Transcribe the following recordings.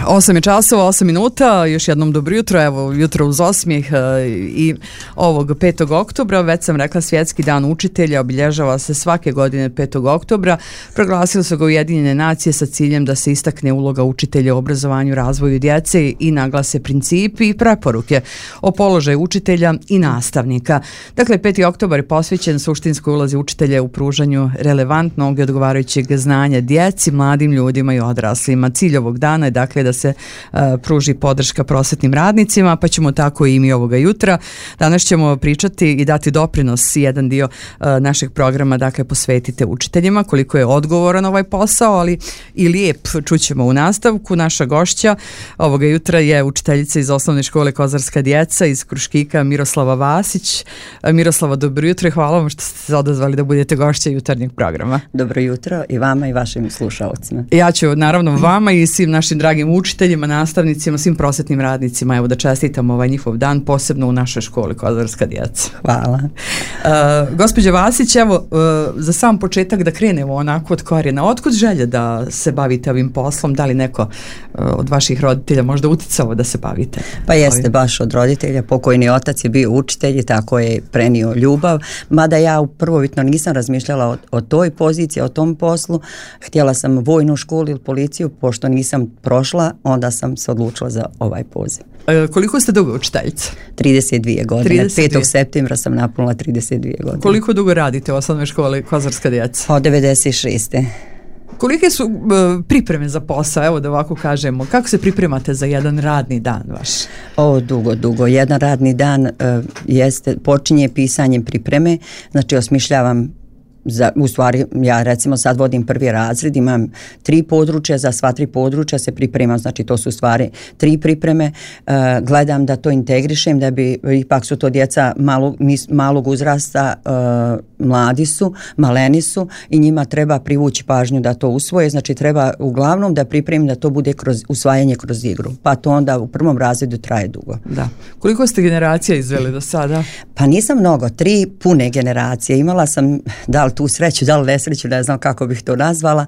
8 je časova, 8 minuta, još jednom dobro jutro, evo jutro uz osmijeh i ovog 5. oktobra, već sam rekla Svjetski dan učitelja, obilježava se svake godine 5. oktobra, proglasili su ga Ujedinjene nacije sa ciljem da se istakne uloga učitelja u obrazovanju, razvoju djece i naglase principi i preporuke o položaju učitelja i nastavnika. Dakle, 5. oktobar je posvećen suštinskoj ulozi učitelja u pružanju relevantnog i odgovarajućeg znanja djeci, mladim ljudima i odraslima. Cilj ovog dana je dakle da se pruži podrška prosvetnim radnicima, pa ćemo tako i mi ovoga jutra. Danas ćemo pričati i dati doprinos, jedan dio našeg programa dakle posvetite učiteljima, koliko je odgovoran ovaj posao, ali i lijep, čućemo u nastavku. Naša gošća ovoga jutra je učiteljica iz osnovne škole Kozarska djeca iz Kruškika, Miroslava Vasić. Miroslava, dobro jutro i hvala vam što ste se odazvali da budete gošća jutarnjeg programa. Dobro jutro i vama i vašim slušalcima. Ja ću naravno vama i svim našim dragim učiteljima, nastavnicima, svim prosvetnim radnicima, evo da čestitam ovaj njihov dan, posebno u našoj školi Kozarska djeca. Hvala. Gospođa Vasić, evo za sam početak da krenemo onako od korijena. Otkud želje da se bavite ovim poslom? Da li neko od vaših roditelja možda uticao da se bavite? Pa jeste, baš od roditelja. Pokojni otac je bio učitelj i tako je prenio ljubav. Mada ja prvobitno nisam razmišljala o toj poziciji, o tom poslu. Htjela sam vojnu školu ili policiju, pošto nisam prošla, onda sam se odlučila za ovaj poziv. Koliko ste dugo učiteljica? 32 godine. 32. 5. septembra sam napunila 32 godine. Koliko dugo radite u osnovnoj školi Kozarska djeca? Od 96. Kolike su pripreme za posao, evo da ovako kažemo, kako se pripremate za jedan radni dan vaš? Dugo. Jedan radni dan počinje pisanjem pripreme, znači osmišljavam u stvari, ja recimo sad vodim prvi razred, imam 3 područja, za sva 3 područja se pripremam, znači to su stvari 3 pripreme, gledam da to integrišem, da bi, ipak su to djeca malog uzrasta, mladi su, maleni su i njima treba privući pažnju da to usvoje, znači treba uglavnom da pripremim da to bude usvajanje kroz igru, pa to onda u prvom razredu traje dugo. Da. Koliko ste generacija izveli do sada? Pa nisam mnogo, 3 pune generacije, imala sam da li tu sreću, da li nesreću, ne znam kako bih to nazvala.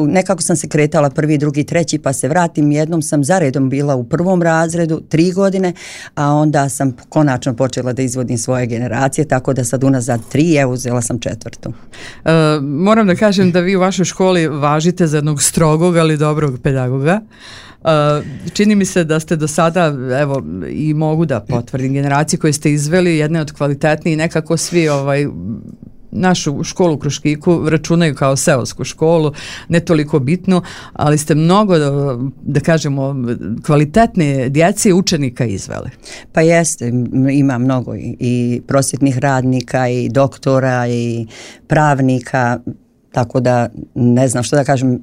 Nekako sam se kretala 1., 2., 3. pa se vratim. Jednom sam zaredom bila u prvom razredu 3 godine, a onda sam konačno počela da izvodim svoje generacije, tako da sad unazad 3, evo uzela sam 4. Moram da kažem da vi u vašoj školi važite za jednog strogog, ali dobrog pedagoga. Čini mi se da ste do sada, evo i mogu da potvrdim, generacije koje ste izveli, jedne od kvalitetnijih, nekako svi našu školu u Kruškiku računaju kao seosku školu, ne toliko bitno, ali ste mnogo, da kažemo, kvalitetne djece i učenika izveli. Pa jeste, ima mnogo i prosvjetnih radnika i doktora i pravnika, tako da ne znam što da kažem,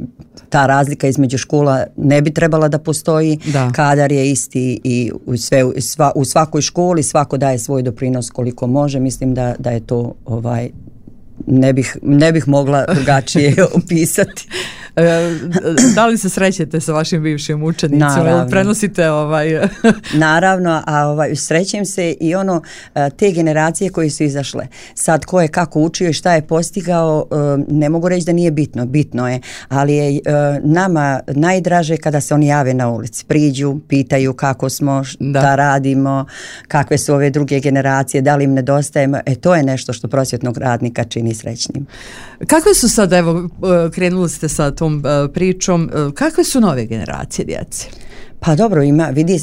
ta razlika između škola ne bi trebala da postoji, kadar je isti i u svakoj školi svako daje svoj doprinos koliko može, mislim da je to ne bih mogla drugačije opisati. Da li se srećete sa vašim bivšim učenicima? Naravno. Prenosite Naravno, a srećem se i te generacije koje su izašle. Sad ko je kako učio i šta je postigao, ne mogu reći da nije bitno. Bitno je, ali je nama najdraže kada se oni jave na ulici. Priđu, pitaju kako smo, šta radimo, kakve su ove druge generacije, da li im nedostajemo. To je nešto što prosvjetnog radnika čini srećnim. Kakve su sad, evo, krenuli ste sa tom pričom, kakve su nove generacije djece? Pa dobro,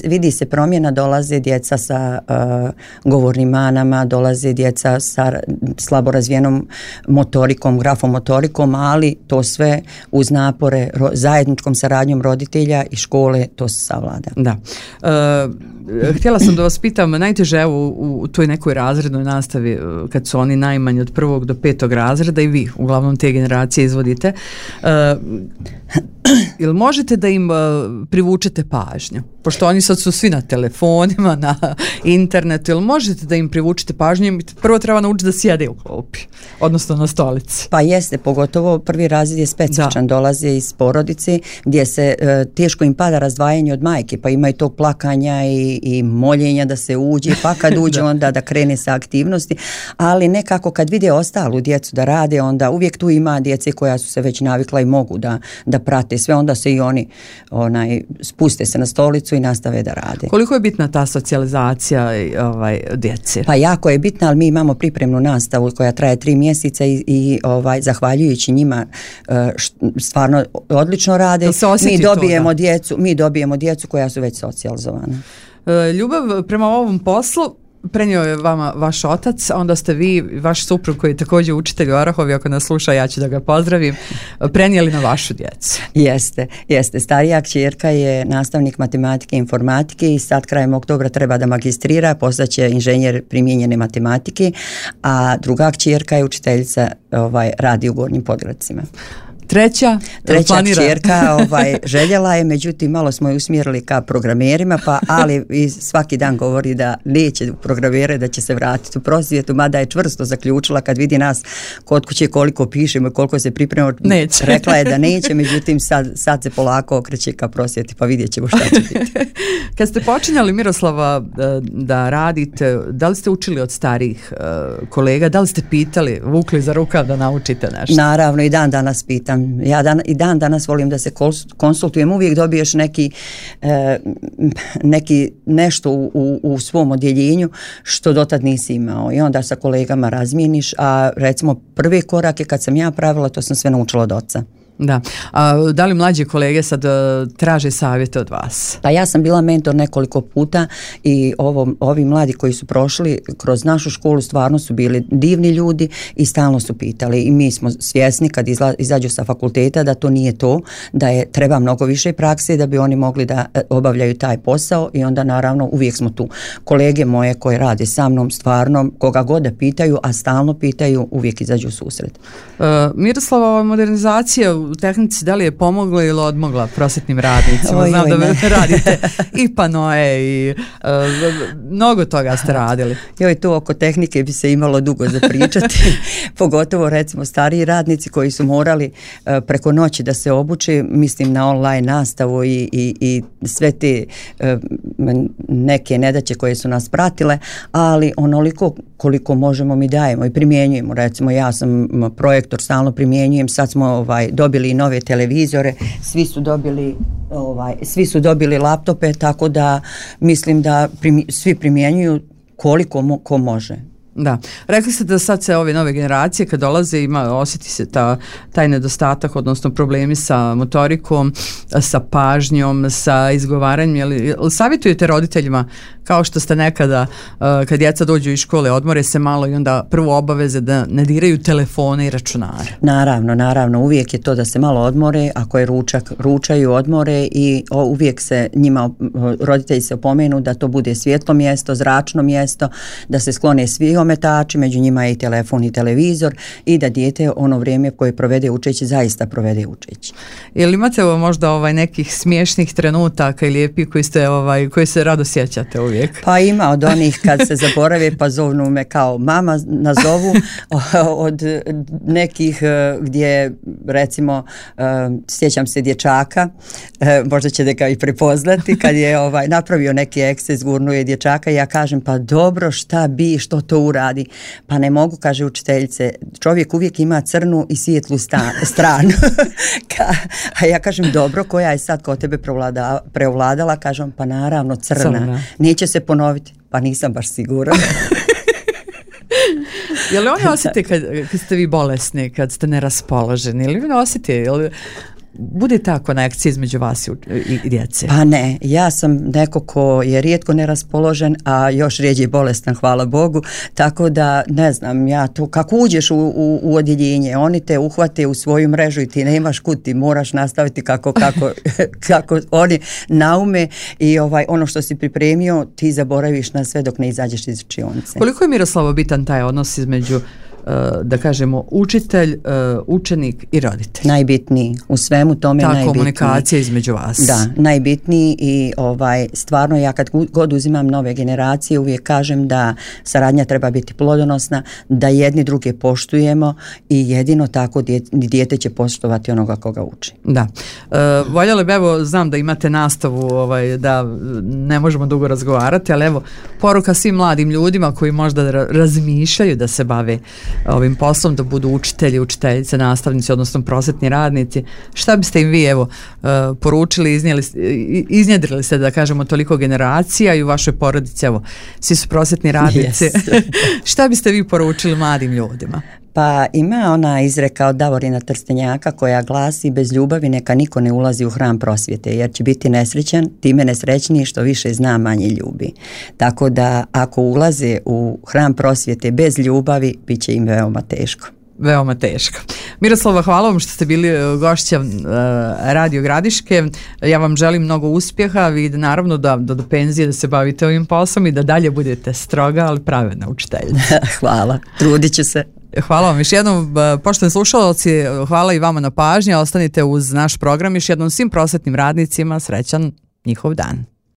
vidi se promjena, dolaze djeca sa govornim manama, dolaze djeca sa slabo razvijenom motorikom, grafomotorikom, ali to sve uz napore, zajedničkom saradnjom roditelja i škole, to se savlada. Da. Htjela sam da vas pitam, najteže evo u toj nekoj razrednoj nastavi, kad su oni najmanji od 1. do 5. razreda i vi, uglavnom te generacije izvodite, jel možete da im privučete pažnju? Pošto oni sad su svi na telefonima, na internetu, jel možete da im privučete pažnju? Prvo treba naučiti da sjede u klopi, odnosno na stolici. Pa jeste, pogotovo prvi razred je specifičan, dolaze iz porodice gdje se teško im pada razdvajanje od majke, pa imaju tog plakanja i moljenja da se uđe, pa kad uđe onda da krene sa aktivnosti, ali nekako kad vide ostalu djecu da rade, onda uvijek tu ima djece koja su se već navikla i mogu da prate shvate sve, onda se i oni spuste se na stolicu i nastave da rade. Koliko je bitna ta socijalizacija djece? Pa jako je bitna, ali mi imamo pripremnu nastavu koja traje 3 mjeseca i zahvaljujući njima stvarno odlično rade. Mi dobijemo djecu koja su već socijalizovana. Ljubav prema ovom poslu prenio je vama vaš otac, a onda ste vi, vaš suprug koji je također učitelj u Orahovi, ako nas sluša ja ću da ga pozdravim, prenijeli na vašu djecu. Jeste. Starija kćerka je nastavnik matematike i informatike i sad krajem oktobra treba da magistrira, postaće inženjer primijenjene matematike, a druga kćerka je učiteljica, radi u Gornjim Podgradcima. Treća kćerka željela je, međutim malo smo je usmjerili ka programerima, ali svaki dan govori da neće programere, da će se vratiti u prosvjetu, mada je čvrsto zaključila kad vidi nas kod kuće koliko pišemo i koliko se pripremamo. Neće. Rekla je da neće, međutim sad se polako okreće ka prosvjeti, pa vidjet ćemo šta će biti. Kad ste počinjali, Miroslava, da radite, da li ste učili od starijih kolega, da li ste pitali, vukli za rukav da naučite nešto? Naravno, i dan danas pitam. Ja i dan danas volim da se konsultujem, uvijek dobiješ nešto u svom odjeljenju što dotad nisi imao i onda sa kolegama razmijeniš, a recimo prve korake kad sam ja pravila, to sam sve naučila od oca. Da. Da li mlađi kolege sad traže savjete od vas? Pa ja sam bila mentor nekoliko puta i ovi mladi koji su prošli kroz našu školu stvarno su bili divni ljudi i stalno su pitali i mi smo svjesni kad izađu sa fakulteta da to nije to, da treba mnogo više prakse da bi oni mogli da obavljaju taj posao i onda naravno uvijek smo tu. Kolege moje koje rade sa mnom stvarno koga god da pitaju, a stalno pitaju, uvijek izađu u susret. Miroslava, modernizacija u tehnici, da li je pomogla ili odmogla prosvjetnim radnicima? Znam da radite i panoe i mnogo toga ste radili. To oko tehnike bi se imalo dugo za pričati, pogotovo recimo stariji radnici koji su morali preko noći da se obuče, mislim na online nastavu i sve te neke nedaće koje su nas pratile, ali onoliko koliko možemo mi dajemo i primjenjujemo. Recimo ja sam projektor, stalno primjenjujem, sad smo dobili i nove televizore, svi su dobili laptope, tako da mislim da svi primjenjuju koliko ko može. Da, rekli ste da sad se ove nove generacije kad dolaze osjeti se taj nedostatak, odnosno problemi sa motorikom, sa pažnjom, sa izgovaranjem. Jel savjetujete roditeljima kao što ste nekada kad djeca dođu iz škole odmore se malo i onda prvo obaveze da ne diraju telefone i računare? Naravno, uvijek je to da se malo odmore, ako je ručak, ručaju, odmore i uvijek se njima, roditelji se opomenu da to bude svjetlo mjesto, zračno mjesto, da se sklone svi ometači, među njima je i telefon i televizor i da dijete ono vrijeme koje provede učeći zaista provede učeći. Jel imate možda nekih smiješnih trenutaka ili lijepih koji se rado sjećate uvijek? Pa ima od onih kad se zaborave pa zovnu me kao mama, nazovu od nekih gdje recimo sjećam se dječaka, možda ćete ga i prepoznati, kad je napravio neki eksces, gurnuo je dječaka i ja kažem pa dobro što to uradi, pa ne mogu, kaže učiteljice, čovjek uvijek ima crnu i svijetlu stranu. A ja kažem dobro, koja je sad kod tebe preovladala, kažem pa naravno crna. Neće se ponoviti, pa nisam baš siguran. Je li oni osjete kad ste vi bolesni, kad ste neraspoloženi, ili vi osjete, bude ta konekcija između vas i djece? Pa ne, ja sam neko ko je rijetko neraspoložen, a još rijeđe bolestan, hvala Bogu, tako da ne znam, ja to, kako uđeš u odjeljenje, oni te uhvate u svoju mrežu i ti nemaš kud, ti moraš nastaviti kako oni naume i ono što si pripremio, ti zaboraviš na sve dok ne izađeš iz učionice. Koliko je, Miroslavo, bitan taj odnos između da kažemo učitelj, učenik i roditelj? Najbitniji, u svemu tome najbitniji. Ta komunikacija između vas. Da, najbitniji i stvarno ja kad god uzimam nove generacije uvijek kažem da saradnja treba biti plodonosna, da jedni druge poštujemo i jedino tako dijete će poštovati onoga koga uči. Da. Voljela bi, znam da imate nastavu da ne možemo dugo razgovarati, ali poruka svim mladim ljudima koji možda razmišljaju da se bave ovim poslom, da budu učitelji, učiteljice, nastavnici, odnosno prosvetni radnici. Šta biste im vi evo poručili, iznjedrili ste, da kažemo, toliko generacija i u vašoj porodici, evo, svi su prosvetni radnici. Yes. Šta biste vi poručili mladim ljudima? Pa ima ona izreka od Davorina Trstenjaka koja glasi: bez ljubavi neka niko ne ulazi u hram prosvjete, jer će biti nesrećan, time nesrećniji što više zna, manje ljubi. Tako da ako ulaze u hram prosvjete bez ljubavi, bit će im veoma teško. Veoma teško. Miroslava, hvala vam što ste bili gošća Radio Gradiške. Ja vam želim mnogo uspjeha i naravno da do penzije da se bavite ovim poslom i da dalje budete stroga, ali pravedna učiteljica. Hvala, trudit ću se. Hvala vam još jednom, poštovani slušalci, hvala i vama na pažnji, ostanite uz naš program, još jednom svim prosvetnim radnicima srećan njihov dan.